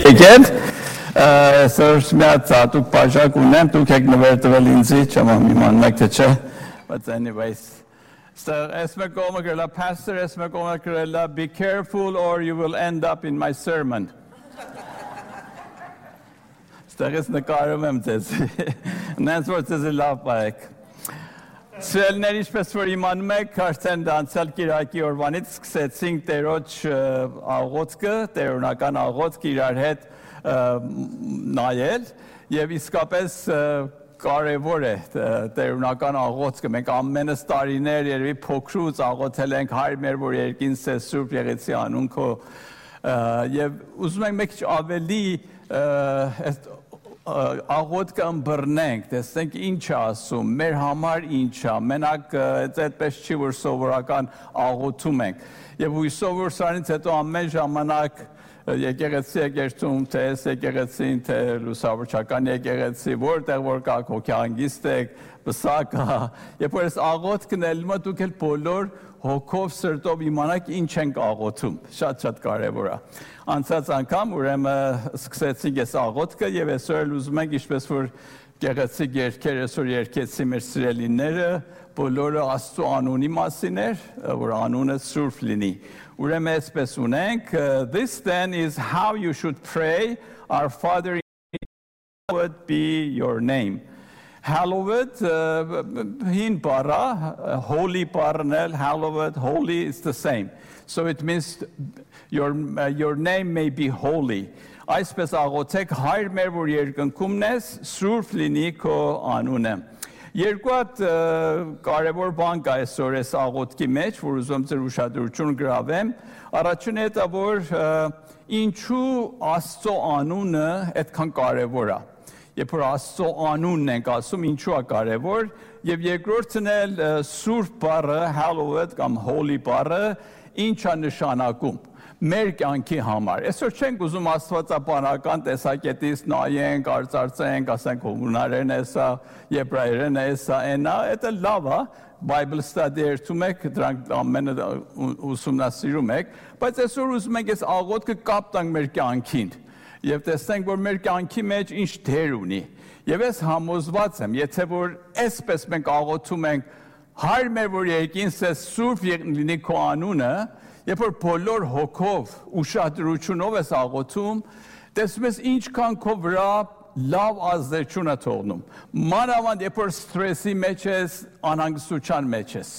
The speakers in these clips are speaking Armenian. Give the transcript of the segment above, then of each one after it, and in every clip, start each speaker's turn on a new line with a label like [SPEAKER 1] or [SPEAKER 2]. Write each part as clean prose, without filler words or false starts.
[SPEAKER 1] Եկեք, սրճ միած դուք բաժակ ունեմ, դուք եք նվերտվել ինձի, չեմ իմանում եք թե չէ, but anyways. Esme կողմը գրելա, pastor esme կողմը գրելա, be careful or you will end up in my sermon. Ստեղից նկարում եմ ձեզ, նենց որ ձեզ լավ պարեք։ Սիրելիներ, ինչպես որ իմանում եք, արդեն անցյալ կիրակի օրվանից սկսեցինք Տերոջ աղոթքը, տերօրինական աղոթքը իրար հետ նայել եւ իսկապես կարևոր է տերօրինական աղոթքը։ Մենք ամենս տարիներ երևի փոքրուց աղոթել ենք հայր մեր, որ երկինս է Սուրբ Եղեցի անուն քո եւ ուզում ենք մեկ ավելի աղոթքը ըմբռնենք, տեսնենք ինչ է ասում, մեր համար ինչ է, մենակ այդպես չի, որ սովորական աղոթում ենք։ Եվ հույսով որ սրանից հետո ամեն ժամանակ եկեղեցի եկեղեցում, թե այս եկեղեցին, թե լուսավորչական եկեղեցի, որտեղ որ կաք հոգեհանգիստ եք, պսակ կա, երբ որ այս աղոթքն էլ դուք էլ բոլոր հոգով սրտով իմանաք ինչ ենք աղոթում, շատ կարևոր է։ Անցած անգամ ուրեմն սկսեցինք այս աղոթքը եւ այսօր էլ ուզում ենք ինչպես որ գեղեցիկ երգեր այսօր երգեցի մեր սիրելիները, բոլորը Աստծո անունի մասին էր, որ անունը սուրբ լինի։ Ուրեմն այսպես ունենք, this then is how you should pray, our Father, hallowed be your name. Hallowed, hin para, holy parnel, hallowed, holy is the same. So it means your name may be holy. Այսպես աղոթեք հայր մեր, որ երկնքումն ես, սուրբ լինի քո անունը։ Երկու հատ կարևոր բան կա այսօր այս աղոթքի մեջ, որ ուզում ձեր ուշադրություն գրավեմ։ Առաջինը դա որ ինչու Աստծո անունը այդքան կարևոր է։ Երբ որ Աստծո անունն ենք ասում, ինչու է կարևոր, եւ երկրորդն էլ սուրբ բառը, hallowed կամ holy բառը, ինչ է նշանակում մեր կյանքի համար։ Այսօր չենք ուզում աստվածաբանական տեսակետից նայենք, արծարծենք, ասենք հունարեն է սա, եբրայերեն է սա, դա լավ է, Bible study երթում եք, դրանք ամենը ուսումնասիրում եք, բայց այսօր ուզում ենք այս աղոթքը կապ տանք մեր կյանքին եւ տեսնենք, որ մեր կյանքի մեջ ինչ դեր ունի։ Եվ ես համոզված եմ, եթե որ այսպես մենք աղոթում ենք, հայր մեր, որ երկինս է սուրբ լինի քո անունը, երբ որ բոլոր հոգով, ուշադրությունով ես աղոթում, տեսնում ես ինչքան քո վրա լավ ազդեցություն է թողնում։ Մանավանդ երբ որ սթրեսի մեջ ես, անհանգստության մեջ ես։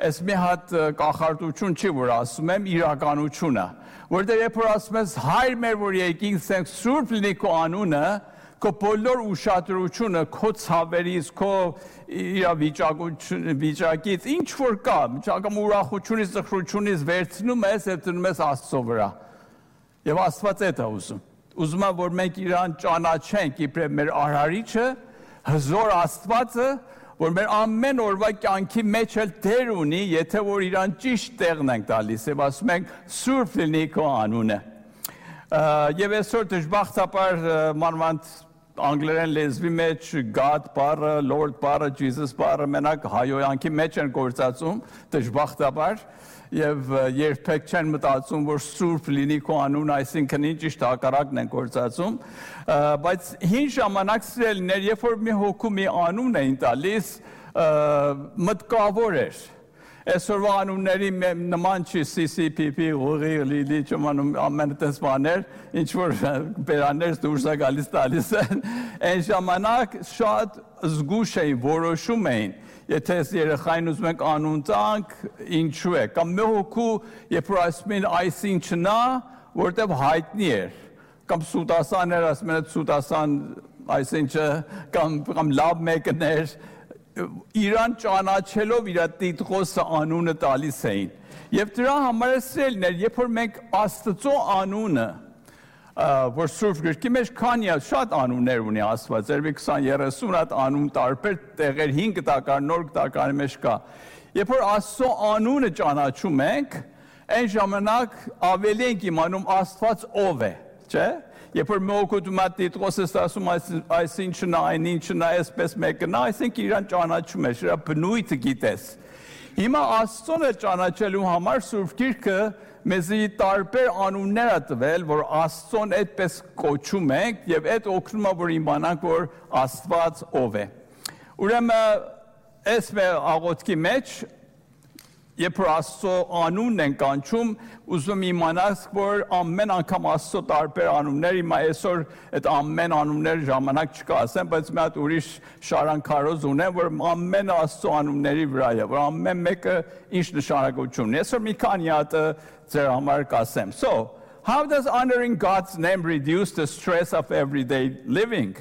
[SPEAKER 1] Այս մի հատ կախարդություն չի, որ ասում եմ, իրականություն է, որտեղ երբ որ ասում ես հայր մեր, որ երկինս է սուրբ լինի քո անունը, քո բոլոր ուշադրությունը, քո ցավերից, քո վիճակից, ինչ որ կա, կամ ուրախությունից, ծխրությունից վերցնում ես եւ դնում ես Աստծո վրա։ Եվ Աստված է դա ուզում։ Ուզում է, որ մենք իրան ճանաչենք իբրև մեր արարիչը, հզոր Աստվածը, որ մեր ամեն օրվա կյանքի մեջ էլ դեր ունի, եթե որ իրան ճիշտ տեղն ենք տալիս եւ ասում ենք սուրբ լինի քո անունը։ Եվ այսօր դժբախտաբար մանավանդ անգլերեն լեզվի մեջ God բառը, Lord բառը, Jesus բառը մենակ հայոյանքի մեջ են գործածում, դժբախտաբար, եւ երբեք չեն մտածում, որ սուրբ լինի քո անունը, այսինքն ճիշտ հակառակն են գործածում, բայց հին ժամանակ սիրելիներ, երբ որ մի հոգու մի անուն էին տալիս, մտկավոր էր։ Այսօրվա անունների նման չի CCPP, ուղի, լիլի, չմանում ամեն տես բաներ, ինչ որ բերաններ դուրս է գալիս տալիս են, այն ժամանակ շատ զգուշ էին, որոշում էին, եթե այս երեխային ուզում ենք անուն տանք, ինչու է, կամ մի հոգու, երբ որ ասում են այս ինչն է, որտեղ հայտնի էր, կամ սուտասաներ ասում են սուտասան այսինչը, կամ լավ մեկն էր, իրան ճանաչելով իր տիտղոսը անունը տալիս էին։ Եվ դրա համար սիրելիներ, երբ որ մենք Աստծո անունը, որ Սուրբ գրքի մեջ քանի շատ անուններ ունի Աստված, երբ 20-30 հատ անուն տարբեր տեղեր 5 տակար, նոր տակարի մեջ կա։ Երբ որ Աստծո անունը ճանաչում ենք, այն ժամանակ ավելի ենք իմանում Աստված ով է, չէ՞։ Երբ որ մոգուտում է տիտղոսս ասում այս ինչն է, այն ինչն է, այսպես մեկն է, այսինքն իրան ճանաչում ես, իր բնույթը գիտես։ Հիմա Աստծուն է ճանաչելու համար Սուրբ Գիրքը մեզի տարբեր անուններ է տվել, որ Աստծուն այդպես կոչում ենք եւ այդ օգնում է որ իմանանք որ Աստված ով է։ Ուրեմն այս մեր աղոթքի մեջ երբ որ Աստծո անունն են կանչում, ուզում իմանաս, որ ամեն անգամ Աստծո տարբեր անուններ, հիմա այսօր այդ ամեն անուններ ժամանակ չկա ասեմ, բայց մի հատ ուրիշ շարանքարոզ ունեմ, որ ամեն Աստծո անունների վրա է, որ ամեն մեկը ինչ նշանակություն ունի։ Այսօր մի քանի հատ ձեր համար կասեմ։ So, how does honoring God's name reduce the stress of everyday living?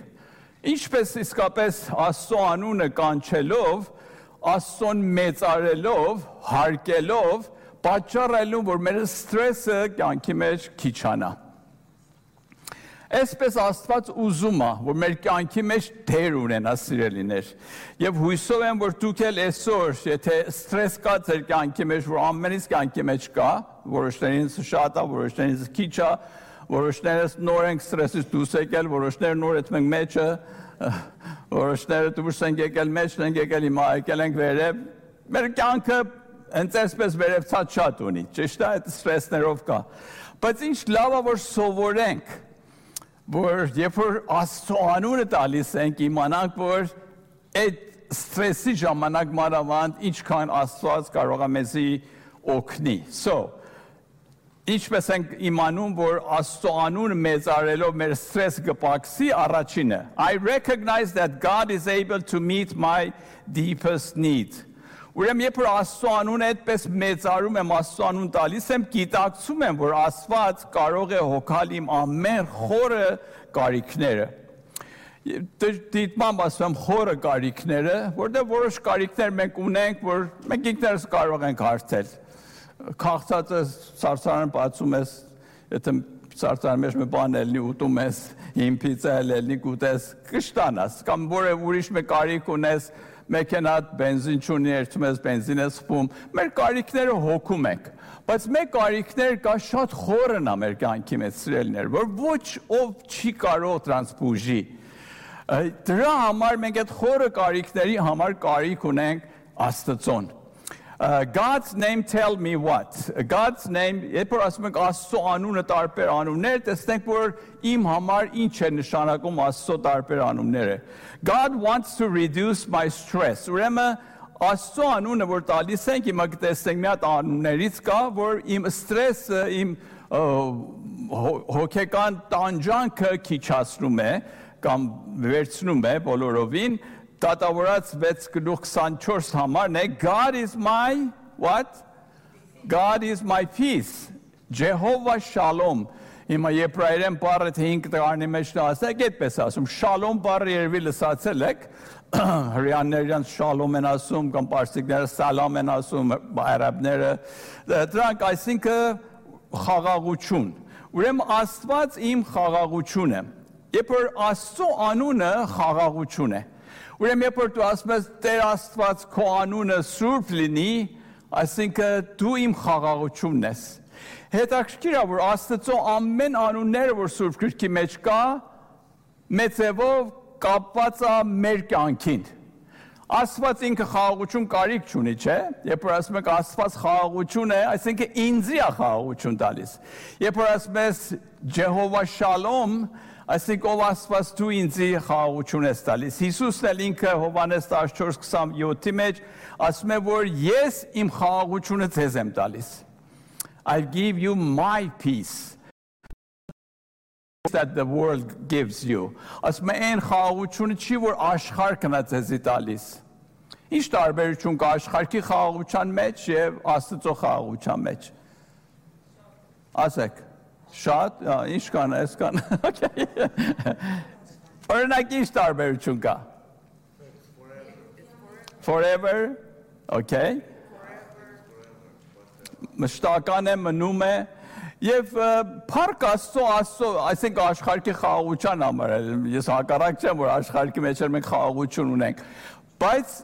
[SPEAKER 1] Ինչպես իսկապես Աստծո անունը կանչելով Աստծուն մեծարելով, հարգելով, պատճառելով, որ մեր ստրեսը կյանքի մեջ քիչանա։ Այսպես Աստված ուզում է, որ մեր կյանքի մեջ դեր ունենա սիրելիներ։ Եվ հույսով եմ, որ դուք էլ այսօր, եթե ստրես կա ձեր կյանքի մեջ, որ ամենից կյանքի մեջ կա, որոշներինս շատ է, որոշներինս քիչ է, որոշներս նոր են ստրեսից դուրս եկել, որոշները նոր այդ մենք մեջը որոշները դուրս են եկել մեջ, են եկել հիմա եկել ենք վերև, մեր կյանքը հենց այսպես վերևցած շատ ունի, ճիշտ է, այդ ստրեսներով կա, բայց ինչ լավ է, որ սովորենք, որ երբ որ Աստծո անունը տալիս ենք, իմանանք, որ այդ ստրեսի ժամանակ մանավանդ ինչքան Աստված կարող է մեզի օգնի, Ինչպես ենք իմանում, որ Աստծո անունը մեծարելով մեր ստրեսը կպակսի առաջինը. I recognize that God is able to meet my deepest need. Ուրեմն երբ որ Աստծո անունը այդպես մեծարում եմ, Աստծո անուն տալիս եմ, գիտակցում եմ, որ Աստված կարող է հոգալ իմ ամեն խորը կարիքները։ Դիտմամբ ասում եմ խորը կարիքները, որտեղ որոշ կարիքներ մենք ունենք, որ մենք ինքներս կարող ենք հարթել։ Քաղցած ես, սարսարան բացում ես, եթե սարսարան մեջ մի բան ելնի ուտում ես, հին պիցա ելնի կուտես, կշտանաս, կամ որ ուրիշ մի կարիք ունես, մեքենատ բենզին չունի, երթում ես բենզին ես խփում, մեր կարիքները հոգում ենք, բայց մեր կարիքներ կա շատ խորն է մեր կյանքի մեջ սիրելիներ, որ ոչ ով չի կարող դրանց բուժի։ Դրա համար մենք այդ խորը կարիքների համար կարիք ունենք Աստծուն։ God's name tell me what? God's name, երբ որ ասում ենք Աստծո անունը տարբեր անուններ, տեսնենք որ իմ համար ինչ է նշանակում Աստծո տարբեր անունները։ God wants to reduce my stress. Ուրեմն Աստծո անունը որ տալիս ենք, հիմա կտեսնենք մի հատ անուններից կա, որ իմ ստրեսը, իմ հոգեկան տանջանքը քիչացնում է կամ վերցնում է բոլորովին Դատավորած 6:24 համարն է God is my what? God is my peace. Jehovah Shalom. Հիմա եբրայերեն բառը 5 տղարանի մեջ ասեք, այդպես ասում, Shalom բառը երևի լսացել եք, հրեաներն Shalom են ասում, կամ պարսիկները Salam են ասում, արաբները, դրանք այսինքն խաղաղություն։ Ուրեմն Աստված իմ խաղաղություն է։ Երբ որ Աստծո անունը խաղաղություն է։ Ուրեմն երբ որ դու ասում ես Տեր Աստված քո անունը սուրբ լինի, այսինքն դու իմ խաղաղությունն ես։ Հետաքրքիր է որ Աստծո ամեն անունները որ Սուրբ Գրքի մեջ կա, մեծևով կապված է մեր կյանքին։ Աստված ինքը խաղաղություն կարիք չունի, չէ՞։ Երբ որ ասում եք Աստված խաղաղություն է, այսինքն ինձի է խաղաղություն տալիս։ Երբ որ ասում ես Ջեհովա Շալոմ, այսինքն ով Աստված դու ինձի խաղաղություն ես տալիս։ Հիսուսն էլ ինքը Հովհաննես 14:27-ի մեջ ասում է, որ ես իմ խաղաղությունը ձեզ եմ տալիս։ I give you my peace that the world gives you. Ասում է այն խաղաղությունը չի, որ աշխարհն է ձեզի տալիս։ Ինչ տարբերություն կա աշխարհի խաղաղության մեջ եւ Աստծո խաղաղության մեջ։ Ասեք Շատ, ինչ կան, այս կան, օրինակ ինչ տարբերություն կա? Forever, okay. Մշտական է, մնում է, և պարկ Աստծո, այսինք աշխարհի խաղաղության համար, ես հակառակ չեմ, որ աշխարհի մեջ մենք խաղաղություն ունենք, բայց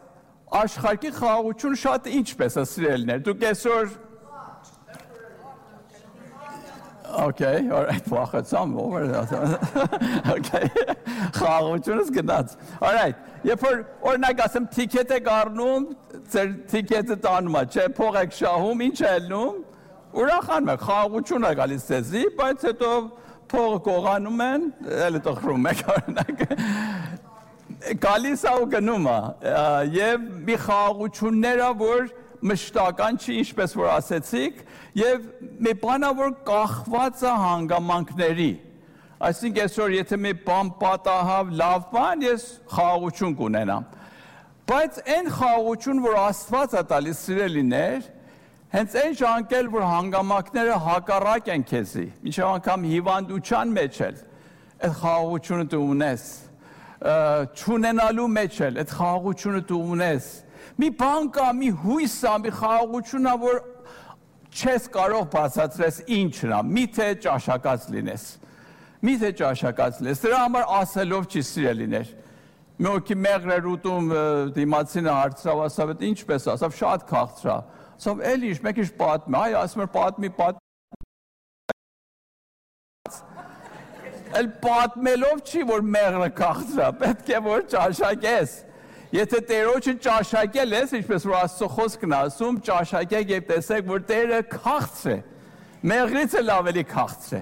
[SPEAKER 1] աշխարհի խաղաղություն շատ ինչպես է սիրելիներ, դուք այսօր Okay, all right, վախեցամ, over. Okay, խաղաղությունս գնաց։ All right, Երբ որ օրինակ ասեմ տիկետ եք առնում, ձեր տիկետը տանում է, չէ, փող եք շահում, ինչ է ելնում, ուրախանում եք, խաղաղություն է գալիս ձեզի, բայց հետո փողը կողանում են, էլ տխրում եք օրինակ։ Գալիս է ու գնում է, եւ մի խաղաղությունները, որ մշտական չի, ինչպես որ ասեցիք, եւ մի բանա, որ կախված է հանգամանքների։ Այսինքն այսօր եթե մի բան պատահավ, լավ բան, ես խաղաղություն կունենամ։ Բայց այն խաղաղություն, որ Աստված է տալիս սիրելիներ, հենց այն ժամանակ, որ հանգամանքները հակառակ են քեզի, մինչև անգամ հիվանդության մեջ էլ, այդ խաղաղությունը դու ունես, չունենալու մեջ էլ, այդ խաղաղությունը դու ունես։ Մի բան կա, մի հույս է, մի խաղաղություն է, որ չես կարող բացատրես ինչն է, միթե ճաշակած լինես։ Միթե ճաշակած լինես, դրա համար ասելով չի սիրելիներ։ Մի օքի մեղր էր ուտում դիմացինը հարցրավ, ասավ, այդ ինչպես, ասավ, շատ քաղցրա։ Ասավ, էլ ինչ, մեկ ինչ պատմի, այ ասում էր պատմի, էլ պատմելով չի, որ մեղրը քաղցրա, պետք է որ ճաշակես։ Եթե Տերոջը ճաշակել ես, ինչպես որ Աստծո խոսքն է ասում, ճաշակեք եւ տեսեք, որ Տերը քաղցր է։ Մեղրից էլ ավելի քաղցր է։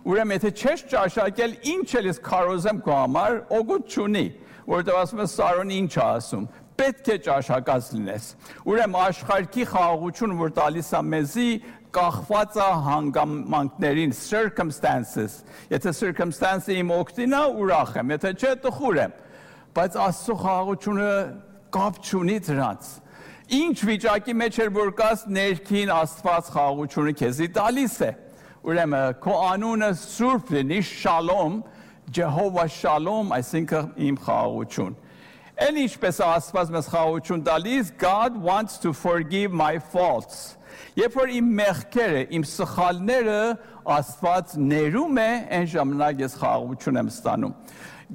[SPEAKER 1] Ուրեմն եթե չես ճաշակել, ինչ էլ ես քարոզեմ քո համար, օգուտ չունի, որովհետեւ ասում է Սարոնի ինչ է ասում։ Պետք է ճաշակած լինես։ Ուրեմն աշխարհի խաղաղությունը, որ տալիս է մեզի, կախված է հանգամանքներին, circumstances։ Եթե circumstance-ը իմ օգտին է, ուրախ եմ, եթե չէ, տխուր եմ։ Բայց Աստծո խաղաղությունը կապ չունի դրանց։ Ինչ վիճակի մեջ էր որ կաս ներքին Աստված խաղաղությունը քեզի տալիս է։ Ուրեմն քո անունը սուրբ լինի, շալոմ, Ջեհովա շալոմ, այսինքն իմ խաղաղություն։ Էլ ինչպես Աստված մեզ խաղաղություն տալիս, God wants to forgive my faults։ Երբ որ իմ մեղքերը, իմ սխալները Աստված ներում է, այն ժամանակ ես խաղաղություն եմ ստանում։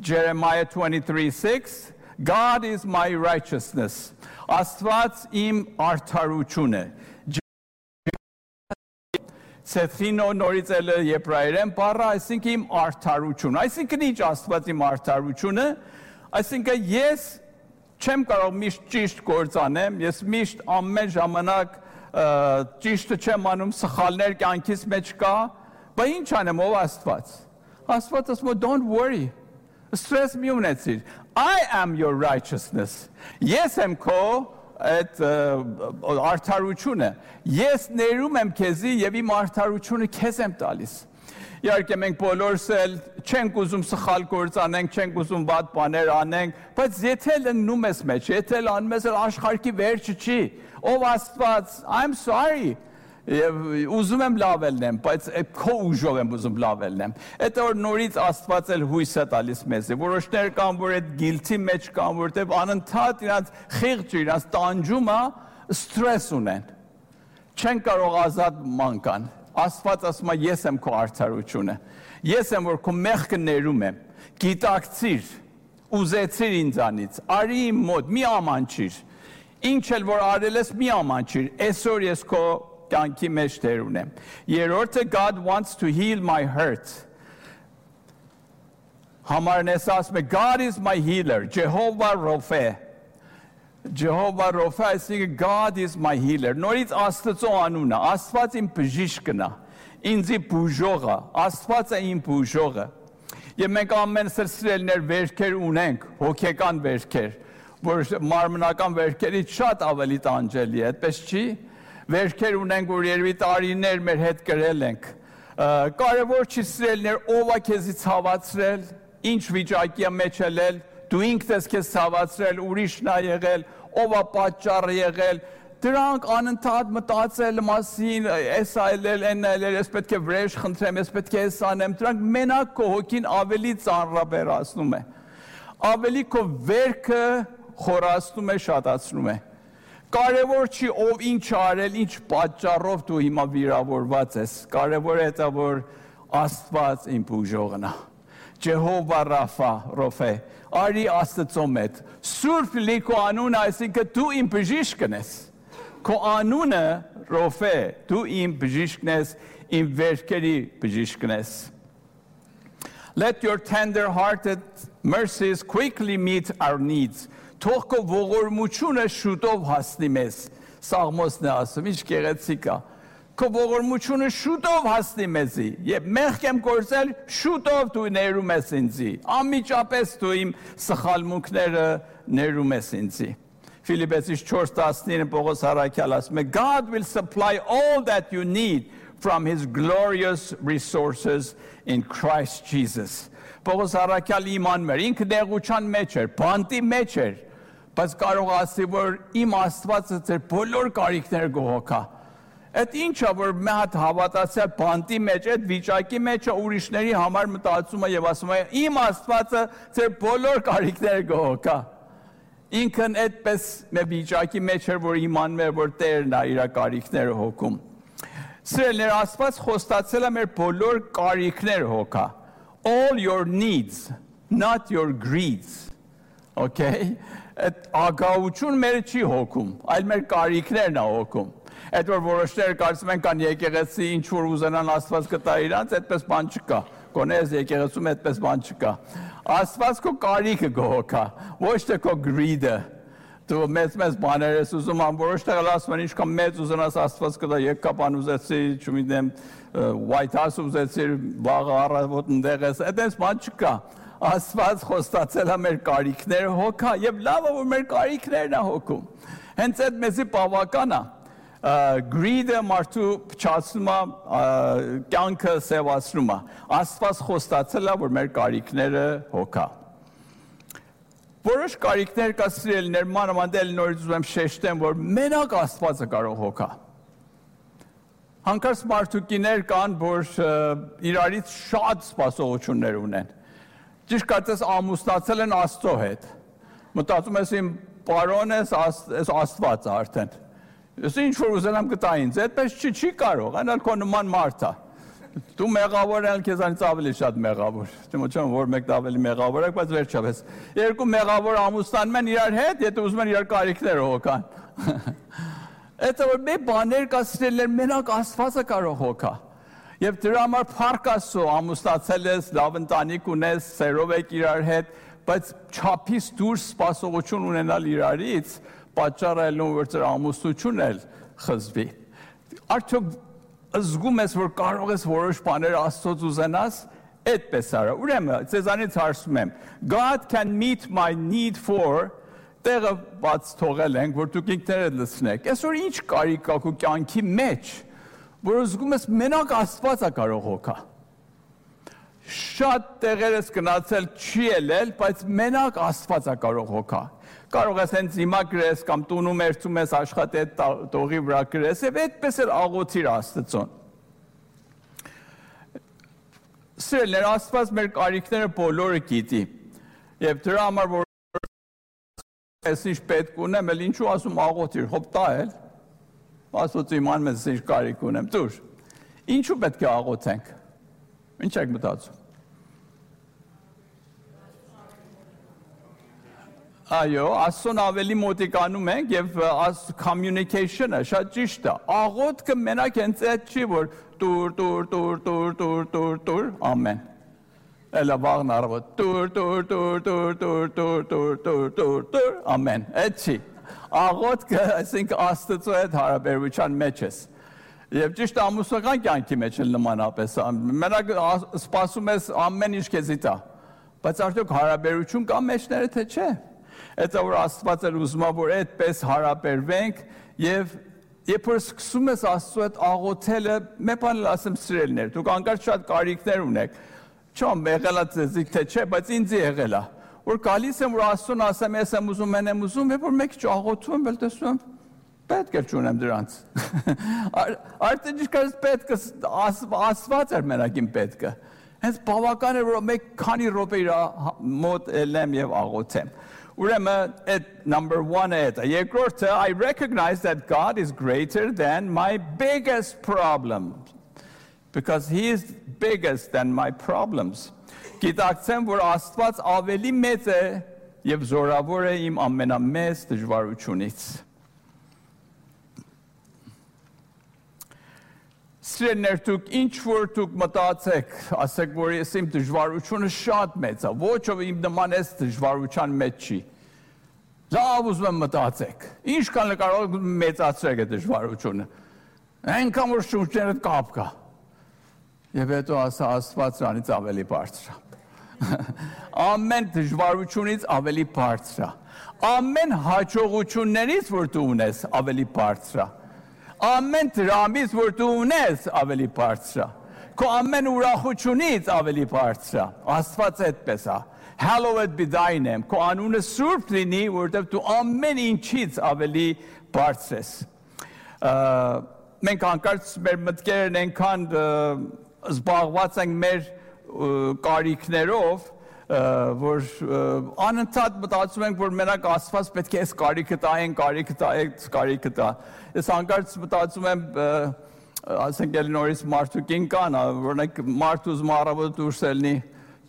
[SPEAKER 1] Jeremiah 23:6 God is my righteousness. Աստված իմ արդարություն է։ Ցեթինո նորից էլ եբրայերեն բառը, այսինքն իմ արդարություն։ Այսինքն ինչ Աստված իմ արդարությունը, այսինքն ես չեմ կարող միշտ ճիշտ գործ անեմ, ես միշտ ամեն ժամանակ ճիշտը չեմ անում, սխալներ կյանքիս մեջ կա, բայց ինչ անեմ ով Աստված։ Աստված ասում է don't worry, stress մի ունեցիր, I am your righteousness։ Ես եմ քո այդ արդարությունը, ես ներում եմ քեզի եւ իմ արդարությունը քեզ եմ տալիս։ Իհարկե մենք բոլորս էլ չենք ուզում սխալ գործ անենք, չենք ուզում վատ բաներ անենք, բայց եթե լննում ես մեջ, եթե անում ես աշխարհի վերջը չի, ով Աստված, I'm sorry, եւ ուզում եմ լավ ելնեմ, բայց քո ուժով եմ ուզում լավ ելնեմ։ Այդ որ նորից Աստված էլ հույս է տալիս մեզ։ Որոշներ կան, որ այդ գիլթի մեջ կան, որտեղ անընդհատ իրանց խիղճը, իրանց տանջումը ստրես ունեն։ Չեն կարող ազատ մանկան։ Աստված ասում է ես եմ քո արդարությունը։ Ես եմ որ քո մեղքը ներում եմ։ Գիտակցիր, ուզեցիր ինձանից, արի իմ մոտ, մի ամանչիր։ Ինչ էլ որ արել ես, մի ամանչիր։ Այսօր ես քո կյանքի մեջ դեր ունեմ։ Երրորդը God wants to heal my hurt։ Համարն ես ասում է God is my healer, Jehovah Rapha։ Jehovah Rapha, այսինքն God is my healer։ Նորից Աստծո անունը, Աստված իմ բժիշկն է, ինձի բուժողը, Աստված է իմ բուժողը։ Եվ մենք ամենս սիրելիներ վերքեր ունենք, հոգեկան վերքեր, որ մարմնական վերքերից շատ ավելի տանջելի է, այդպես չի։ Վերքեր ունենք, որ երևի տարիներ մեր հետ կրել ենք։ Կարևոր չի սիրելիներ, ով է քեզի ցավացրել, ինչ վիճակի մեջ ելել, դու ինքդ ես քեզ ցավացրել, ուրիշն է եղել, ով է պատճառը եղել, դրանք անընդհատ մտածել մասին, էս այլել, այն այլել, ես պետք է վրեժ խնդրեմ, ես պետք է էս անեմ, դրանք մենակ քո հոգին ավելի ծանրաբեռացնում է։ Ավելի քո վերքը խորացնում է, շատացնում է։ Կարևոր չի ով ինչ արել, ինչ պատճառով դու հիմա վիրավորված ես։ Կարևոր է դա որ Աստված իմ բուժողն է։ Ջեհովա Ռոֆե, արի Աստծո մետ։ Սուրբ լի քո անունը, այսինքն դու իմ բժիշկն ես։ Քո անունը Ռոֆե, դու իմ բժիշկն ես, իմ վերքերի բժիշկն ես։ Let your tender-hearted mercies quickly meet our needs. Թող քո ողորմությունը շուտով հասնի մեզ։ Սաղմոսն է ասում, ինչ գեղեցիկ է։ Քո ողորմությունը շուտով հասնի մեզի, եւ մեղք եմ գործել, շուտով դու ներում ես ինձի։ Անմիջապես դու իմ սխալմունքները ներում ես ինձի։ Ֆիլիպպեցիս 4:19 Պողոս առաքյալ ասում է, God will supply all that you need from his glorious resources in Christ Jesus. Պողոս առաքյալ իմանում էր, ինքը նեղության մեջ էր, բանտի մեջ էր, բայց կարող ասի, որ իմ Աստվածը ձեր բոլոր կարիքները կհոգա։ Այդ ինչա, որ մի հատ հավատացյալ բանտի մեջ, այդ վիճակի մեջ է ուրիշների համար մտածում է եւ ասում է, իմ Աստվածը ձեր բոլոր կարիքները կհոգա։ Ինքն այդպես մի վիճակի մեջ էր, որ իմանում էր, որ Տերն է իր կարիքները հոգում։ Սիրելիներ, Աստված խոստացել է մեր բոլոր կարիքները հոգա։ All your needs, not your greeds. Okay? Այդ ագահություն մեր չի հոգում, այլ մեր կարիքներն է հոգում։ Այդ որ որոշները կարծում են կան եկեղեցի ինչ որ ուզենան Աստված կտա իրանց, այդպես բան չկա։ Գոնե այս եկեղեցում այդպես բան չկա։ Աստված քո կարիքը կհոգա, ոչ թե քո greed-ը։ Դու մեծ բաներ ես ուզում, որոշ տեղը ասում են ինչքան մեծ ուզենաս Աստված կտա, եկկապան ուզեցի, չգիտեմ, White House ուզեցի, վաղը առավոտ ընդեղ ես, այդպես բան չկա։ Աստված խոստացել է մեր կարիքները հոգա եւ լավ է որ մեր կարիքներն է հոգում։ Հենց այդ մեզի բավական է։ Greed-ը մարդու փչացնում է, կյանքը սևացնում է։ Աստված խոստացել է որ մեր կարիքները հոգա։ Որոշ կարիքներ կա սիրելիներ, մանավանդ նորից ուզում եմ շեշտեմ, որ մենակ Աստվածը կարող հոգա։ Հանկարծ մարդուկիներ կան, որ իրարից շատ սպասողություններ ունեն։ Ճիշտ կարծես ամուսնացել են Աստծո հետ։ Մտածում ես իմ պարոն ես Աստվածը արդեն։ Ես ինչ որ ուզենամ կտա ինձ, այդպես չի կարող, այնալ քո նման մարդ է։ Դու մեղավոր ես, քեզանից ավելի շատ մեղավոր։ Չեմ որ մեկն ավելի մեղավոր է, բայց վերջապես երկու մեղավոր ամուսնանում են իրար հետ, եթե ուզում են իրար կարիքները հոգան։ Այդ որ մի բաներ կա սիրելիներ, մենակ Աստվածը կարող հոգա։ Եվ դրա համար փառք Աստծո, ամուսնացել ես, լավ ընտանիք ունես, սերով եք իրար հետ, բայց չափից դուրս սպասողություն ունենալ իրարից, պատճառը ելնում որ ձեր ամուսնությունն էլ խզվի։ Արդյոք զգում ես, որ կարող ես որոշ բաներ Աստծոց ուզենաս, այդպես արա։ Ուրեմն, ձեզանից հարցում եմ, God can meet my need for տեղը բաց թողել ենք, որ դուք ինքներդ լսնեք։ Այսօր ինչ կարիք կա քո կյանքի մեջ, որ զգում ես մենակ Աստվածը կարող հոգա։ Շատ տեղեր ես գնացել չի ելել, բայց մենակ Աստվածը կարող հոգա։ Կարող ես հենց հիմա գրես կամ տունում երթում ես աշխատի տողի վրա գրես եւ այդպես էլ աղոթիր Աստծուն։ Սիրելիներ, Աստված մեր կարիքները բոլորը գիտի։ Եվ դրա համար որ ես ինչ պետք ունեմ, էլ ինչու ասում աղոթիր, հոբ տա էլ։ Աստված իմանում ես ինչ կարիք ունեմ, դուր։ Ինչու պետք է աղոթենք։ Ինչ եք մտածում։ Այո, Աստծուն ավելի մոտիկանում ենք եւ communication-ը շատ ճիշտ է։ Աղոթքը մենակ հենց այդ չի, որ տուր, ամեն։ Էլա վաղն առավոտ տուր, ամեն։ Այդ չի։ Աղոթքը, այսինքն Աստծո հետ հարաբերության մեջ ես։ Եվ ճիշտ ամուսնական կյանքի մեջ էլ նմանապես։ Մենակ սպասում ես ամեն ինչ քեզի տա։ Բայց արդյոք հարաբերություն կա մեջները թե չէ։ Այդ որ Աստված էր ուզում որ այդպես հարաբերվենք եւ երբ որ սկսում ես Աստծո հետ աղոթելը, մի բան ասեմ սիրելիներ, դուք անկարծ շատ կարիքներ ունեք։ Չեմ եղել է ձեզիկ թե չէ, բայց ինձ եղել է։ Որ գալիս եմ որ Աստծուն ասեմ, ես եմ ուզում, են եմ ուզում, երբ որ մեկ աղոթում եմ, տեսնում եմ պետք է չունեմ դրանց։ Արդեն ճիշտ պետք է Աստված էր մենակ իմ պետքը։ Հենց բավական է որ մեկ քանի րոպե իր մոտ ելեմ եւ աղոթեմ։ Ուրեմն այդ number 1-ը է։ Երկրորդը I recognize that God is greater than my biggest problem because he is biggest than my problems. Գիտակցեմ որ Աստված ավելի մեծ է եւ զորավոր է իմ ամենամեծ դժվարությունից։ Սիրելիներ, դուք ինչ որ դուք մտածեք, ասեք, որ ես իմ դժվարությունը շատ մեծ է, ոչ ով իմ նման էս դժվարության մեջ չի։ Լավ ուզում եմ մտածեք, ինչքան կարող մեծացրեք այդ դժվարությունը։ Այնքան որ շուրջերդ կապ կա։ Եվ հետո ասա Աստված դրանից ավելի բարձր է։ Ամեն դժվարությունից ավելի բարձր է։ Ամեն հաջողություններից, որ դու ունես, ավելի բարձր է։ Ամեն դրամից, որ դու ունես, ավելի բարձր է։ Քո ամեն ուրախությունից ավելի բարձր է։ Աստված այդպես է։ Hallowed be thy name։ Քո անունը սուրբ լինի, որովհետև դու ամեն ինչից ավելի բարձր ես։ Մենք հանկարծ մեր մտքերն այնքան զբաղված ենք մեր կարիքներով, որ անընդհատ մտածում ենք, որ մենակ Աստված պետք է այս կարիքը տա, այն կարիքը տա, այս կարիքը տա։ Ես հանկարծ մտածում եմ, ասենք էլ նորից մարդուկին կան, օրինակ մարդ ուզում առավոտ դուրս ելնի,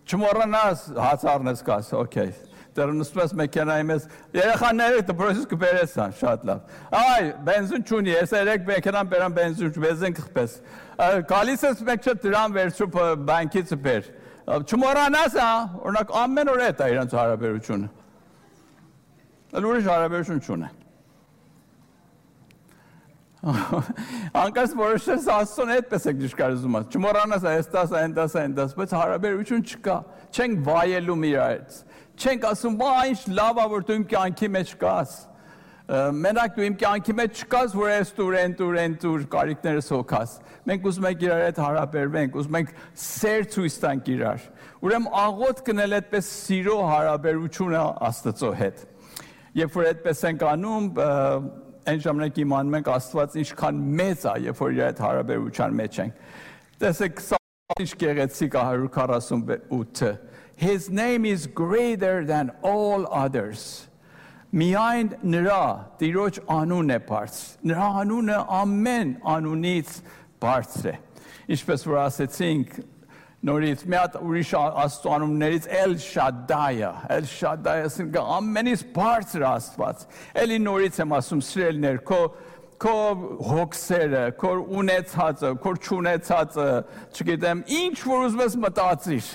[SPEAKER 1] չմոռանաս հաց առնես կաս, օքեյ։ Դեռ նստում ես մեքենայի մեջ, երեխաները դպրոցից կբերես ան, շատ լավ։ Այ, բենզին չունի, ես երեք մեքենան բերան բենզին կխպես։ Գալիս ես մեկ չէ դրան վերցու բանկից բեր։ Չմոռանաս, օրինակ ամեն օր էդ է իրանց հարաբերությունը։ Ուրիշ հարաբերություն չունեն։ Անկած որոշես Աստծուն այդպես եք դժկարացում, չմոռանաս այս տաս, այն տաս, այն տաս, բայց հարաբերություն չկա, չենք վայելում իրարից, չենք ասում, ինչ լավ է, որ դու իմ կյանքի մեջ կաս, մենակ դու իմ կյանքի մեջ չկաս, որ այս տուր, այն տուր, կարիքներս հոգաս, մենք ուզում ենք իրար հետ հարաբերվենք, ուզում ենք սեր ցույց տանք իրար, ուրեմն աղոթ կնել այդպես սիրո հարաբերությունը Աստծո հետ, երբ որ այդպես ենք անում, այն ժամանակ իմանում ենք Աստված ինչքան մեծ է, երբ որ իր այդ հարաբերության մեջ ենք։ Տեսեք, ինչ գեղեցիկ է 148-ը։ His name is greater than all others. Միայն նրա Տիրոջ անունն է բարձր։ Նրա անունը ամեն անունից բարձր է։ Ինչպես որ ասեցինք, նորից մի հատ ուրիշ Աստծո անուններից Էլ Շադայը, ասենք ամենից բարձր Աստված։ Էլի նորից եմ ասում, սիրելիներ, քո հոգսերը, քո ունեցածը, քո չունեցածը, չգիտեմ, ինչ որ ուզում ես մտածիր։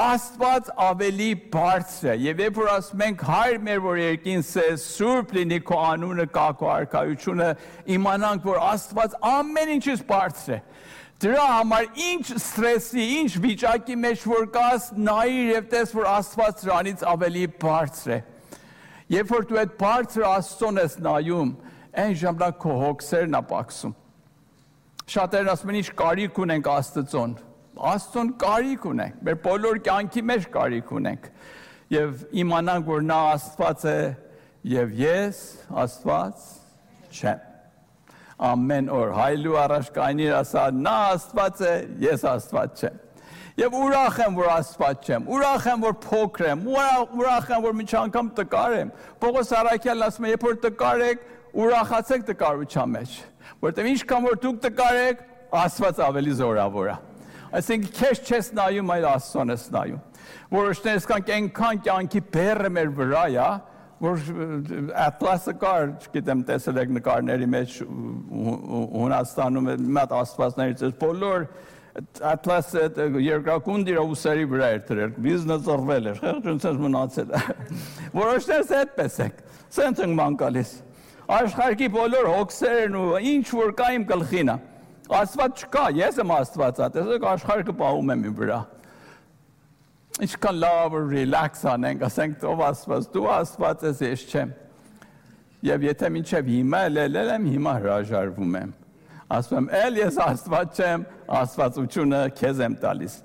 [SPEAKER 1] Աստված ավելի բարձր է, եւ երբ որ ասում ենք հայր մեր, որ երկինս է, սուրբ լինի քո անունը, կա քո արքայությունը, իմանանք, որ Աստված ամեն ինչից բարձր է։ Դրա համար ինչ ստրեսի, ինչ վիճակի մեջ որ կաս, նայիր եւ տես, որ Աստված դրանից ավելի բարձր է։ Երբ որ դու այդ բարձր Աստծուն ես նայում, այն ժամանակ քո հոգսերն է պակսում։ Շատերն ասում են, ինչ կարիք ունենք Աստծուն։ Աստծուն կարիք ունենք, մեր բոլոր կյանքի մեջ կարիք ունենք։ Եվ իմանանք, որ նա Աստված է եւ ես Աստված չեմ։ Ամեն օր հայլու առաջ կայնիր ասա, նա Աստված է, ես Աստված չեմ։ Եվ ուրախ եմ, որ Աստված չեմ, ուրախ եմ, որ փոքր եմ, ուրախ եմ, որ մինչ անգամ տկար եմ։ Պողոս Առաքյալն ասում է, երբ որ տկար եք, ուրախացեք տկարության մեջ, որտեղ ինչքան որ դուք տկար եք, Աստված ավելի զորավոր է։ Այսինքն քեզ չես նայում, այլ Աստծուն ես նայում։ Որոշներս կանք այնքան կյանքի բեռը մեր վրա է, որ Atlas-ը կար, չգիտեմ, տեսել եք նկարների մեջ Հունաստանում մի հատ աստվածներից էս բոլոր Atlas-ը երկրակունդ իր ուսերի վրա էր դրել, վիզնը ծռվել էր, խեղճունցած մնացել է։ Որոշներս այդպես եք, սենց ենք ման գալիս։ Աշխարհի բոլոր հոգսերն ու ինչ որ կա իմ գլխին է։ Աստված չկա, ես եմ Աստվածը, տեսեք աշխարհը պահում եմ իմ վրա։ Ինչքան լավ ռիլաքս անենք, ասենք ով Աստված, դու Աստված ես, ես չեմ։ Եվ եթե մինչև հիմա եմ, հիմա հրաժարվում եմ։ Ասում եմ, էլ ես Աստված չեմ, Աստվածությունը քեզ եմ տալիս։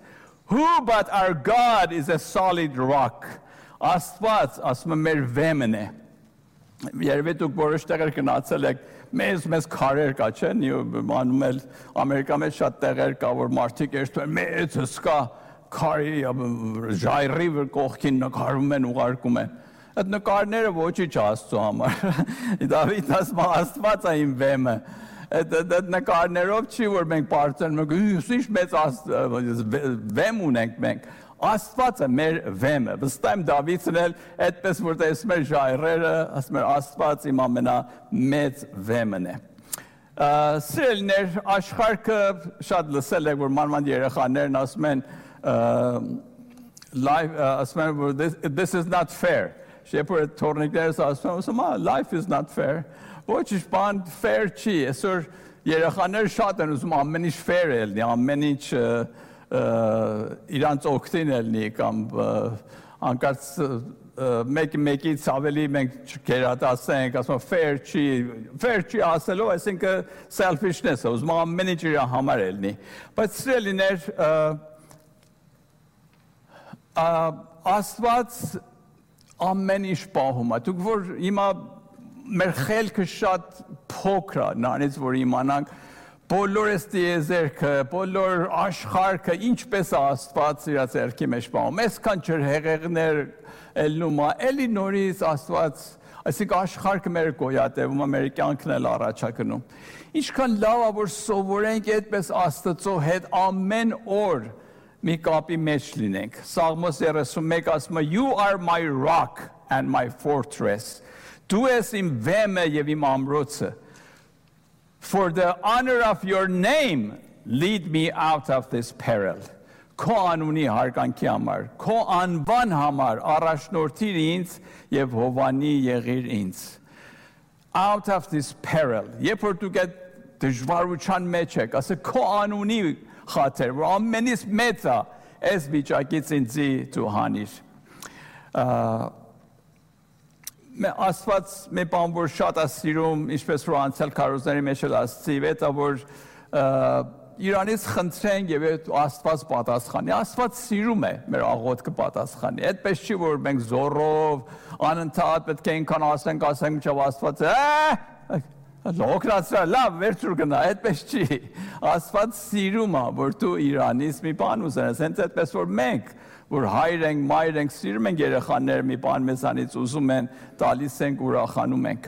[SPEAKER 1] Who but our God is a solid rock։ Աստված, ասում եմ, մեր վեմն է։ Երևի դուք որոշ տեղեր գնացել եք, մեծ քարեր կա, չէ՞, անում էլ Ամերիկա մեջ շատ տեղեր կա, որ մարդիկ երթում են մեծ հսկա քարի ժայռի կողքին նկարում են, ուղարկում են։ Այդ նկարները ոչինչ Աստծո համար։ Դավիթ ասում է, Աստված է իմ վեմը։ Այդ նկարներով չի, որ մենք բարձրանում ենք, ինչ մեծ վեմ ունենք մենք։ Աստված է մեր վեմը։ Վստահ եմ Դավիթն էլ այդպես որ տեսնում էր ժայռերը, ասում էր Աստված իմ ամենամեծ վեմն է։ Սիրելիներ, աշխարհը շատ լսել եք, որ մանավանդ երեխաներն ասում են this is not fair. Երբ որ թորնիկներս ասում են life is not fair. Ոչ բան fair չի, այսօր երեխաները շատ են ուզում ամեն ինչ fair ելնի, ամեն ինչ իրանց օգտին ելնի կամ անկած մեկից ավելի մենք գերադասենք, ասում fair չի ասելով, այսինքն selfishness է, ուզում ամեն ինչ իր համար ելնի։ Բայց սիրելիներ, Աստված ամեն ինչ պահում է։ Դուք որ հիմա մեր խելքը շատ փոքր է, նրանից որ իմանանք բոլոր այս տիեզերքը, բոլոր աշխարհը ինչպես է Աստված իր ձեռքի մեջ պահում։ Այսքան ջրհեղեղներ ելնում է, էլի նորից Աստված, այսինքն աշխարհը մեր գոյատևում է, մեր կյանքն էլ առաջ է գնում։ Ինչքան լավ է որ սովորենք այդպես Աստծո հետ ամեն օր մի կապի մեջ լինենք։ Սաղմոս 31 ասում է You are my rock and my fortress. Դու ես իմ վեմը եւ իմ ամրոցը։ For the honor of your name lead me out of this peril. Քո անունի հարգանքի համար, քո անվան համար առաջնորդիր ինձ եւ հովանի եղիր ինձ։ Out of this peril. Երբ որ դուք այդ դժվարության մեջ եք, ասեք քո անունի խաթեր, որ ամենից մեծ է, այս վիճակից ինձի դու հանիր։ Աստված մի բան որ շատ է սիրում, ինչպես որ անցյալ քարոզների մեջ էլ ասացի, դա որ Իրանից խնդրենք եւ Աստված պատասխանի։ Աստված սիրում է մեր աղոթքը պատասխանի։ Այդպես չի որ մենք զորով անընդհատ պետք է ինքան ասենք, մինչև Աստված լոկրացրա լավ վերջուր գնա, այդպես չի։ Աստված սիրում է, որ դու Իրանից մի բան ուզենես, հենց այդպես որ մենք, որ հայր ենք, մայր ենք, սիրում ենք երեխաները մի բան մեզանից ուզում են, տալիս ենք, ուրախանում ենք։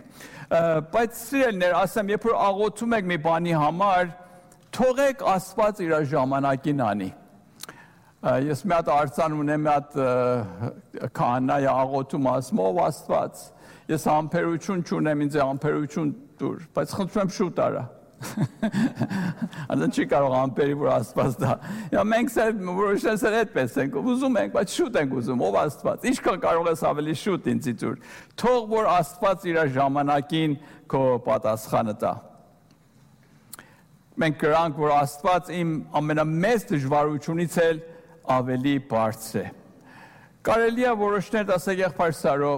[SPEAKER 1] Բայց սիրելիներ, ասեմ, երբ որ աղոթում եք մի բանի համար, թողեք Աստված իր ժամանակին անի։ Ես մի հատ արձան ունեմ, մի հատ քահանա աղոթում ասում, ով Աստված, ես համբերություն չունեմ, ինձ համբերություն դուր, բայց խնդրում եմ շուտ արա։ Անձն չի կարող ամպերի, որ Աստված դա։ Մենք որոշես այդպես ենք, ուզում ենք, բայց շուտ ենք ուզում, ով Աստված, ինչքան կարող ես ավելի շուտ ինձի դուր։ Թող որ Աստված իր ժամանակին քո պատասխանը տա։ Մենք կրանք, որ Աստված իմ ամենամեծ դժվարությունից էլ ավելի բարձր է։ Կարելի է որոշներ ասեք եղբայր Սարո,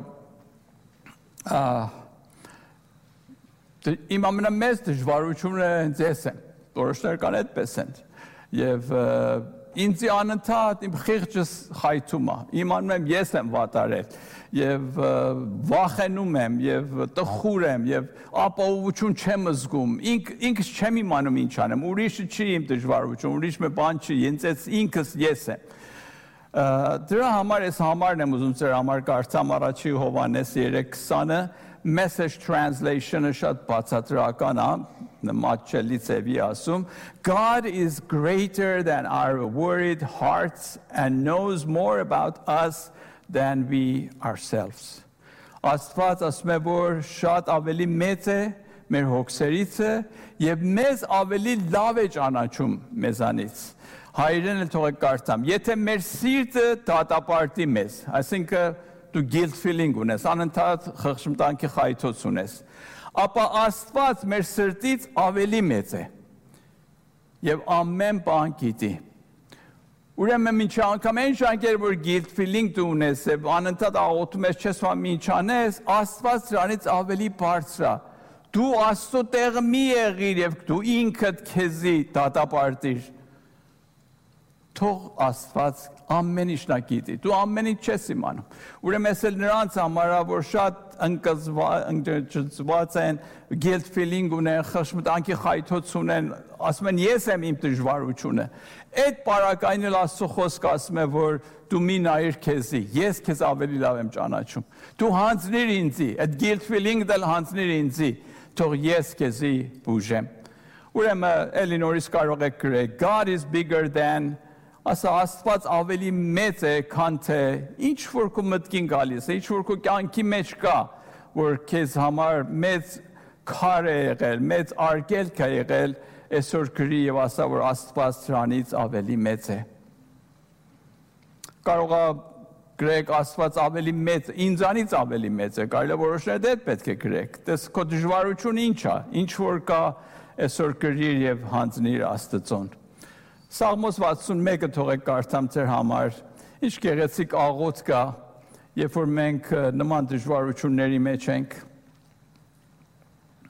[SPEAKER 1] իմ ամենամեծ դժվարությունը հենց ես եմ, որոշներ կան այդպես են, և ինձի անընդհատ իմ խիղճս խայթում է, իմանում եմ ես եմ վատարել, և վախենում եմ, և տխուր եմ, և ապահովություն չեմ զգում, ինքս չեմ իմանում ինչ անեմ, ուրիշը չի իմ դժվարություն, ուրիշ մի բան չի, ինքս ես եմ։ Դրա համար ես համարն եմ ուզում ձեր համար կարդամ առաջի Հովհաննես 3:20-ը, message translation-ը շատ բացատրական է, նմատչելի ձևի ասում, God is greater than our worried hearts and knows more about us than we ourselves. Աստված ասում է, որ շատ ավելի մեծ է մեր հոգսերիցը և մեզ ավելի լավ է ճանաչում մեզանից։ Հայերեն էլ թողեք կարդամ, եթե մեր սիրտը դատապարտի մեզ, այսինքն դու guilt feeling ունես, անընդհատ խղճմտանքի խայթոց ունես, ապա Աստված մեր սրտից ավելի մեծ է և ամեն բան գիտի։ Ուրեմն մինչ անգամ այն ժամանակ, որ guilt feeling դու ունես, անընդհատ աղոթում ես, չես վան ինչ անես, Աստված դրանից ավելի բարձր է։ Դու Աստծո տեղը մի եղիր և դու ինքդ քեզի դատապարտիր։ Թող Աստված ամեն ինչն գիտի, դու ամեն ինչ չես իմանում։ Ուրեմն ես էլ նրանց համար որ շատ ընկճված են, guilt feeling ունեն, խղճմտանքի խայթոց ունեն, ասում են ես եմ իմ դժվարությունը։ Այդ պարակային էլ Աստծո խոսքը ասում է, որ դու մի նայիր քեզի, ես քեզ ավելի լավ եմ ճանաչում։ Դու հանձնիր ինձի, այդ guilt feeling-ը դել հանձնիր ինձի, թող ես քեզի բուժեմ։ Ուրեմն էլի նորից կարող եք գրել, God is bigger than ասա Աստված ավելի մեծ է, քան թե ինչ որ քո մտքին գալիս է, ինչ որ քո կյանքի մեջ կա, որ քեզ համար մեծ քար է եղել, մեծ արգելք է եղել, այսօր գրի եւ ասա, որ Աստված դրանից ավելի մեծ է։ Կարող է գրեք Աստված ավելի մեծ, ինձանից ավելի մեծ է, կարելի է որոշել դե պետք է գրեք։ Դες քո դժվարությունը ինչ է, ինչ որ կա այսօր գրիր եւ հանձնիր Աստծուն։ Սաղմոս 61-ը թողեք կարդամ ձեր համար, ինչ գեղեցիկ աղոթք կա, երբ որ մենք նման դժվարությունների մեջ ենք։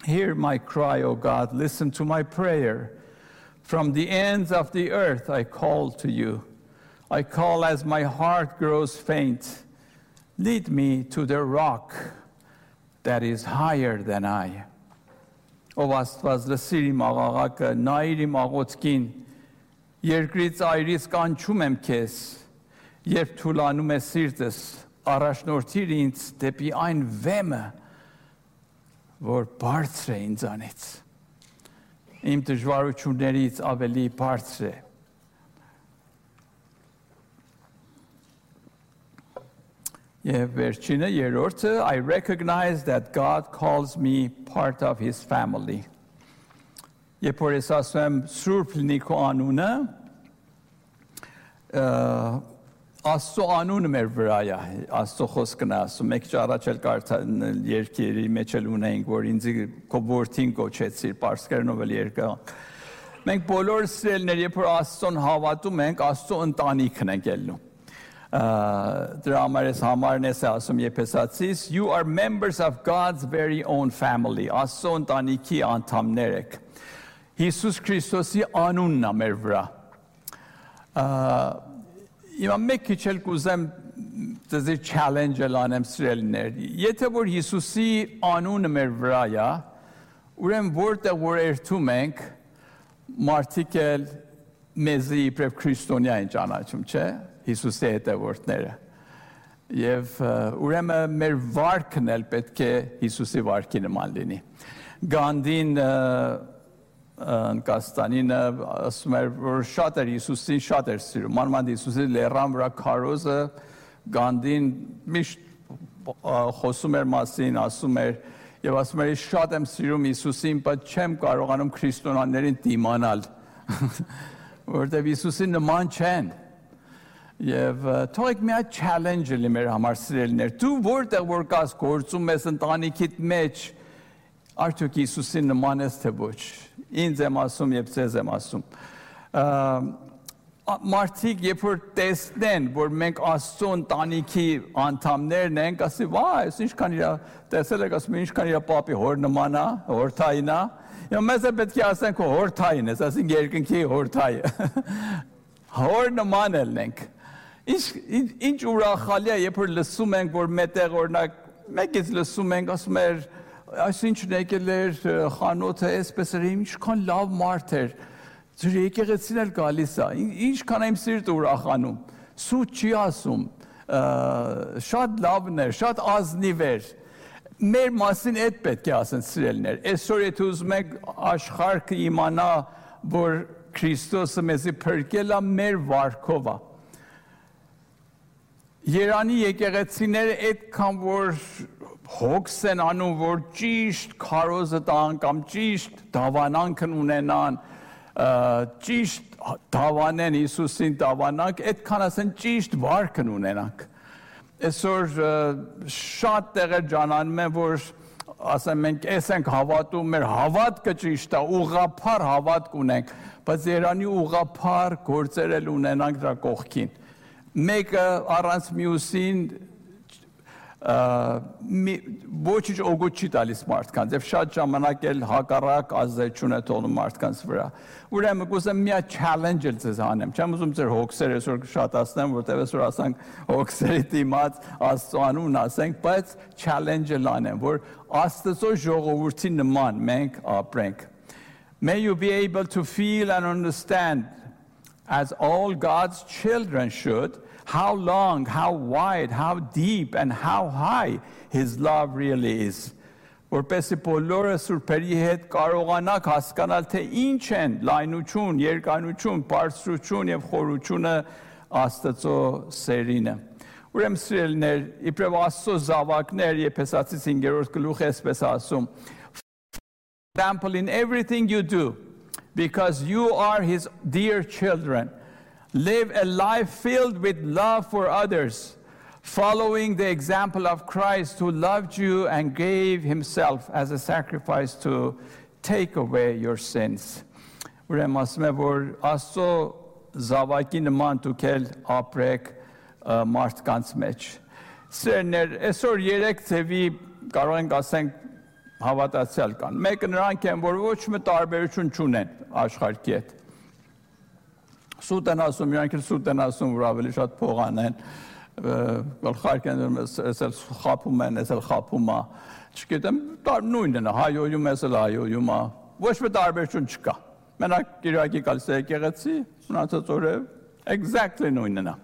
[SPEAKER 1] Hear my cry, O God, listen to my prayer. From the ends of the earth I call to you. I call as my heart grows faint. Lead me to the rock that is higher than I. Ով Աստված լսիր իմ աղաղակը, նայիր իմ աղոթքին, երկրից այրից կանչում եմ քեզ, երբ թուլանում է սիրտս, առաջնորդիր ինձ դեպի այն վեմը, որ բարձր է ինձանից, իմ դժվարություններից ավելի բարձր է։ Եվ վերջինը, երրորդը, I recognize that God calls me part of his family. Երբ որ ես ասում եմ Սուրբ լինի քո անունը, Աստծո անունը մեր վրա է, Աստծո խոսքն է ասում, մեկ առաջ էլ կարդան երկերի մեջ էլ ունեինք, որ ինձ քո որդին կոչեցիր, պարսկերենով էլ երկան։ Մենք բոլորս սիրելիներ, երբ որ Աստծոն հավատում ենք, Աստծո ընտանիքն ենք ելնում։ Դրա համար ես համարն ես ասում Եփեսացիս, you are members of God's very own family, Աստծո ընտանիքի անդամներ եք։ Հիսուս Քրիստոսի անունն է մեր վրա։ Հիմա մեկ քիչ էլ կուզեմ դեզի challenge-ը անեմ սիրելիներ։ Եթե որ Հիսուսի անունը մեր վրա է, ուրեմն որտեղ որ երթում ենք, մարդիկ էլ մեզի իբրև քրիստոնյա են ճանաչում, չէ՞։ Հիսուսի հետևորդները։ Եվ ուրեմն մեր վարքն էլ պետք է Հիսուսի վարքի նման լինի։ Գանդին Կաստանինը ասում էր, որ շատ էր Հիսուսին շատ էր սիրում։ Մանավանդ Հիսուսի լեռան վրա քարոզը Գանդին միշտ խոսում էր մասին, ասում էր եւ ասում էր շատ եմ սիրում Հիսուսին, բայց չեմ կարողանում քրիստոնյաներին դիմանալ, որովհետեւ Հիսուսի նման չեն։ Եվ թողեք մի հատ challenge լինի մեր համար սիրելիներ։ Դու որտեղ որ կաս գործում ես ընտանիքիդ մեջ, արդյոք Հիսուսին նման ես թե ոչ։ Ինձ եմ ասում եւ ձեզ եմ ասում։ Մարդիկ երբ որ տեսնեն, որ մենք Աստծո ընտանիքի անդամներն ենք, ասի, վայ, ինչքան իր տեսել եք, ասում ինչքան իր պապի հոր նման է, հորթային է։ Եվ մեզ է պետք է ասենք հորթային ես, ասենք երկնքի հորթայը։ Հոր նման ենք։ Ինչ ուրախալի է, երբ որ լսում ենք, որ մետեղ օրինակ մեկից լսում ենք, ասում էր, այսինչն եկել էր խանութը, այսպես էր, ինչքան լավ մարդ էր, ձեր եկեղեցին էլ գալիս է, ինչքան եմ սիրտը ուրախանում, սուտ չի ասում, շատ լավն էր, շատ ազնիվ էր, մեր մասին այդ պետք է ասեն սիրելիներ, այսօր եթե ուզում եք աշխարհը իմանա, որ Քրիստոսը մեզի փրկել է մեր վարքով է։ Երանի եկեղեցիները այդքան որ հոգս են անում, որ ճիշտ քարոզը տան կամ ճիշտ դավանանքն ունենան, ճիշտ դավանեն Հիսուսին դավանանք, այդքան ասեն ճիշտ վարքն ունենանք։ Այսօր շատ տեղեր ջանանում են, որ ասեմ մենք էս ենք հավատում, մեր հավատքը ճիշտ է, ուղղափառ հավատք ունենք, բայց Երանի ուղղափառ գործեր էլ ունենանք դրա կողքին։ Մեկը առանց մյուսին ոչինչ օգուտ չի տալիս մարդկանց, եւ շատ ժամանակ էլ հակառակ ազդեցություն է թողնում մարդկանց վրա։ Ուրեմն կուզեմ մի հատ challenge էլ ձեզ անեմ։ Չեմ ուզում ձեր հոգսերը այսօր շատացնեմ, որտեղ այսօր ասանք հոգսերի դիմաց Աստծո անունն ասենք, բայց challenge-ը անեմ, որ Աստծո ժողովրդի նման մենք ապրենք։ May you be able to feel and understand, as all God's children should, how long, how wide, how deep, and how high His love really is. Որպեսզի բոլորը սուրբերի հետ կարողանաք հասկանալ, թե ինչ են լայնություն, երկայնություն, բարձրություն եւ խորությունը Աստծո սերինը։ Ուրեմն սիրելիներ, իբրև Աստծո զավակներ, Եփեսացիս 5-րդ գլուխը այսպես ասում. example in everything you do, because you are his dear children. Live a life filled with love for others, following the example of Christ who loved you and gave himself as a sacrifice to take away your sins. Ուրեմն ասում եմ, որ Աստծո զավակի նման դուք էլ ապրեք մարդկանց մեջ։ Սերներ, այսօր երեք ձևի կարող ենք ասենք հավատացյալ կան։ Մեկը նրանք են, որ ոչ մի տարբերություն չունեն աշխարհի հետ։ Սուտ են ասում, իրանք էլ սուտ են ասում, որ ավելի շատ փող անեն, գլխարկ են, այսել խապում են, այսել խապում է, չգիտեմ, նույնն է, հայոյում, այսել հայոյում է, ոչ մի տարբերություն չկա։ Մենակ Կիրակի գալիս է եկեղեցի, մնացած օրը exactly նույնն է։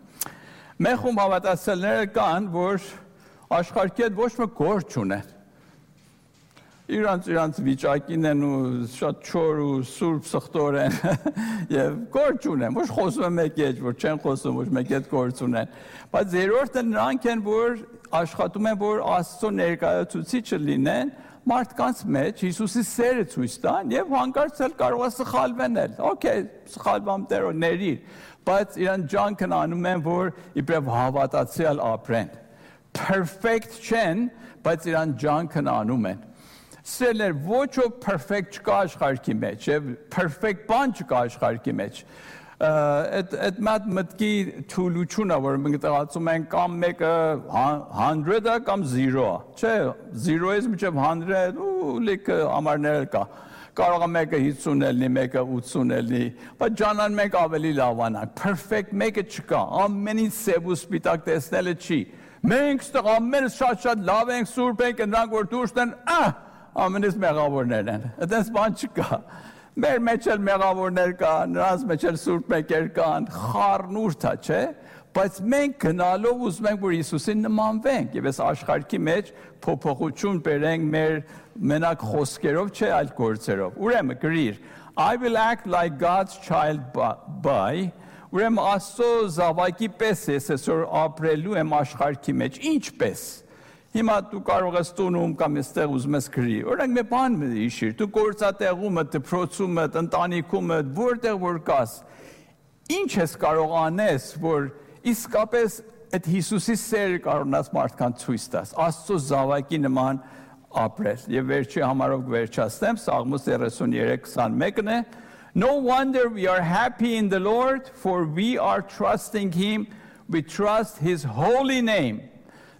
[SPEAKER 1] Մեկ խումբ հավատացյալներ կան, որ աշխարհի հետ ոչ մի գործ չունեն։ Իրանց վիճակին են ու շատ չոր ու սուրբ սխտոր են և գործ ունեն, ոչ խոսում են մեկի հետ, որ չեն խոսում, ոչ մեկի հետ գործ ունեն, բայց երրորդը նրանք են, որ աշխատում են, որ Աստծո ներկայացուցիչը լինեն մարդկանց մեջ, Հիսուսի սերը ցույց տան և հանկարծ էլ կարող է սխալվեն էլ, օքեյ, սխալվամ Տերո ներիր, բայց իրանք ջանքն անում են, որ իբրև հավատացյալ ապրեն, perfect չեն, բայց իրանք ջանքն անում են։ Սերներ, ոչ ով perfect չկա աշխարհի մեջ, և perfect բան չկա աշխարհի մեջ։ Այդ մտքի թուլությունը, որ մենք տեղացում ենք կամ մեկը 100-ը կամ 0-ը, չէ, 0-ից մինչև 100 ու լիքը համարներ կա։ Կարող է մեկը 50 լինի, մեկը 80 լինի, բայց ջանան մենք ավելի լավանանք։ Perfect մեկը չկա, ամենից սև ու սպիտակ տեսնելը չի։ Մենք ստեղ ամենը շատ լավ ենք, սուրբ ենք, նրանք որ դուրս են, ամենից մեղավորներ են, այդպես բան չկա, մեր մեջ էլ մեղավորներ կան, նրանց մեջ էլ սուրբ մեկեր կան, խառնուրդ է, չէ, բայց մենք գնալով ուզում ենք, որ Հիսուսին նմանվենք, և այս աշխարհի մեջ փոփոխություն բերենք մեր մենակ խոսքերով, չէ, այլ գործերով, ուրեմն գրիր, I will act like God's child by, ուրեմն Աստծո զավակի պես ես այսօր ապրելու եմ աշխարհի մեջ, ինչպես Հիմա դու կարող ես տունում կամ այստեղ ուզում ես գրի, օրինակ մի բան հիշիր, դու գործատեղում ես, դպրոցում ես, ընտանիքում ես, որտեղ որ կաս, ինչ ես կարող անես, որ իսկապես այդ Հիսուսի սերը կարողանաս մարդկանց ցույց տաս, Աստծո զավակի նման ապրել։ Եվ վերջի համարով վերջացնեմ, Սաղմոս 33:21-ն է, No wonder we are happy in the Lord, for we are trusting him, we trust his holy name.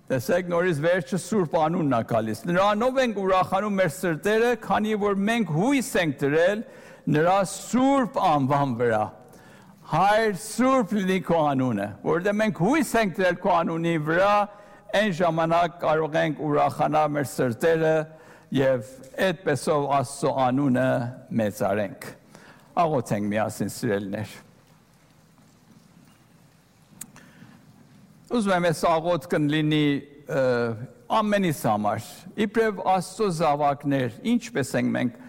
[SPEAKER 1] Տեսեք նորից վերջը սուրբ անունն է գալիս։ Նրանով ենք ուրախանում մեր սրտերը, քանի որ մենք հույս ենք դրել նրա սուրբ անվան վրա։ Հայր սուրբ լինի քո անունը, որովհետև մենք հույս ենք դրել քո անունի վրա, այն ժամանակ կարող ենք ուրախանալ մեր սրտերը եւ այդպեսով Աստծո անունը մեծարենք։ Աղոթենք միասին սիրելիներ։ Ուզում եմ ես աղոթքն լինի ամենից համար, իբրև Աստծո զավակներ, ինչպես ենք մենք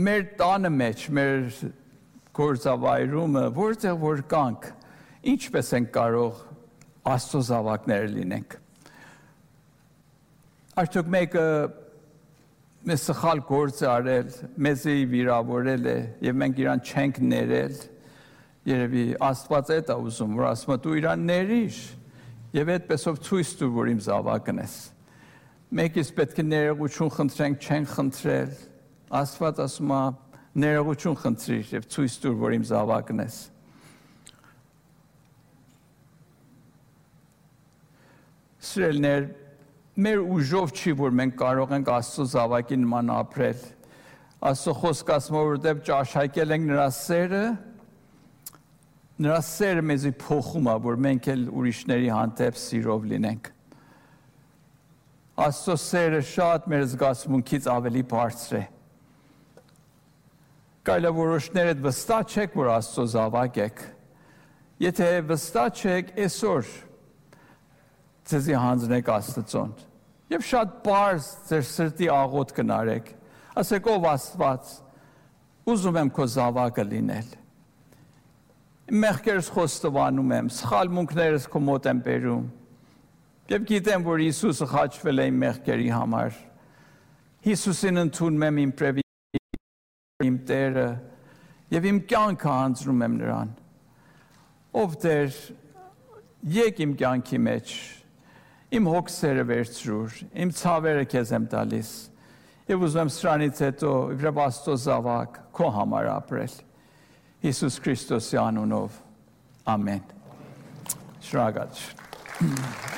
[SPEAKER 1] մեր տանը մեջ, մեր գործավայրումը, որտեղ որ կանք, ինչպես ենք կարող Աստծո զավակներ լինենք։ Արդյոք մեկը մեզ սխալ գործ է արել, մեզի վիրավորել է և մենք իրան չենք ներել, Երևի Աստված էդ է ուզում, որ ասում է դու իրան ներիր եւ այդպեսով ցույց տուր, որ իմ զավակն ես։ Մեկից պետք է ներողություն խնդրենք, չենք խնդրել։ Աստված ասում է ներողություն խնդրիր եւ ցույց տուր, որ իմ զավակն ես։ Սիրելիներ, մեր ուժով չի, որ մենք կարող ենք Աստծո զավակի նման ապրել։ Աստծո խոսքը ասում է, որովհետեւ ճաշակել ենք նրա սերը, Նրա սերը մեզի փոխում է, որ մենք էլ ուրիշների հանդեպ սիրով լինենք։ Աստծո սերը շատ մեր զգացմունքից ավելի բարձր է։ Կարելի է որոշներ այդ վստահ չեք, որ Աստծո զավակ եք։ Եթե վստահ չեք, այսօր ձեզի հանձնեք Աստծուն։ Եվ շատ պարզ ձեր սրտի աղոթք կնարեք։ Ասեք ով Աստված, ուզում եմ քո զավակը լինել։ Մեղքերս խոստովանում եմ, սխալմունքներս քո մոտ եմ բերում, և գիտեմ, որ Հիսուսը խաչվել է իմ մեղքերի համար, Հիսուսին ընդունում եմ իմ պրևի, իմ Տերը, և իմ կյանքը հանձնում եմ նրան։ Ով Տեր, եկ իմ կյանքի մեջ, իմ հոգսերը վերցրուր, իմ ցավերը քեզ եմ տալիս, և ուզում եմ սրանից հետո իբրև Աստծո զավակ քո համար ապրել։ Հիսուս Քրիստոսի անունով, ամեն։ Շնորհակալ եմ։